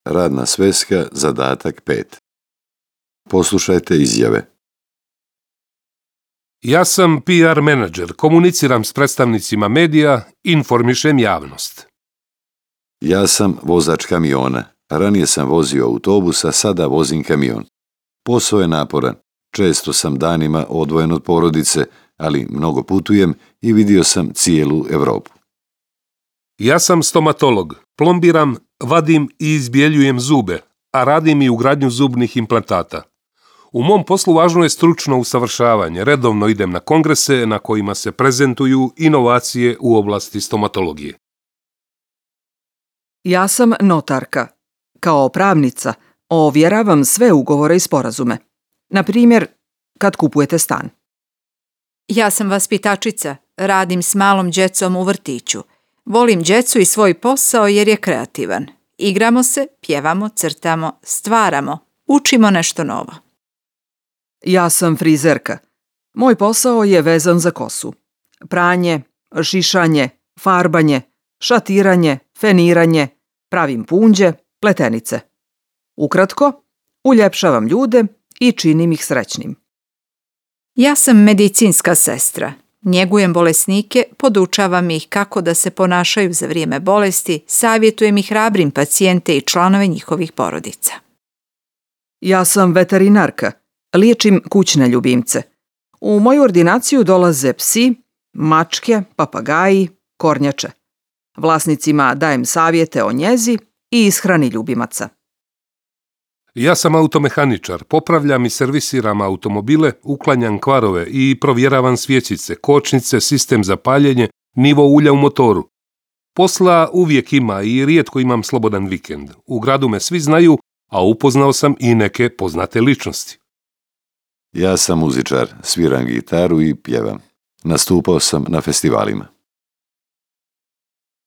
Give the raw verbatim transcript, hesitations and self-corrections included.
Radna sveska, zadatak pet. Poslušajte izjave. Ja sam P R menadžer, komuniciram s predstavnicima medija, informišem javnost. Ja sam vozač kamiona. Ranije sam vozio autobus, a sada vozim kamion. Posao je naporan. Često sam danima odvojen od porodice, ali mnogo putujem i vidio sam cijelu Europu. Ja sam stomatolog, plombiram, vadim i izbjeljujem zube, a radim i ugradnju zubnih implantata. U mom poslu važno je stručno usavršavanje. Redovno idem na kongrese na kojima se prezentuju inovacije u oblasti stomatologije. Ja sam notarka. Kao pravnica ovjeravam sve ugovore i sporazume. Na primjer, kad kupujete stan. Ja sam vaspitačica. Radim s malom djecom u vrtiću. Volim djecu i svoj posao jer je kreativan. Igramo se, pjevamo, crtamo, stvaramo, učimo nešto novo. Ja sam frizerka. Moj posao je vezan za kosu. Pranje, šišanje, farbanje, šatiranje, feniranje, pravim punđe, pletenice. Ukratko, uljepšavam ljude i činim ih srećnim. Ja sam medicinska sestra. Njegujem bolesnike, podučavam ih kako da se ponašaju za vrijeme bolesti, savjetujem ih hrabrim pacijente i članove njihovih porodica. Ja sam veterinarka. Liječim kućne ljubimce. U moju ordinaciju dolaze psi, mačke, papagaji, kornjače. Vlasnicima dajem savjete o njezi i ishrani ljubimaca. Ja sam automehaničar, popravljam i servisiram automobile, uklanjam kvarove i provjeravam svjecice, kočnice, sistem za paljenje, nivo ulja u motoru. Posla uvijek ima i rijetko imam slobodan vikend. U gradu me svi znaju, a upoznao sam i neke poznate ličnosti. Ja sam muzičar, sviram gitaru i pjevam. Nastupao sam na festivalima.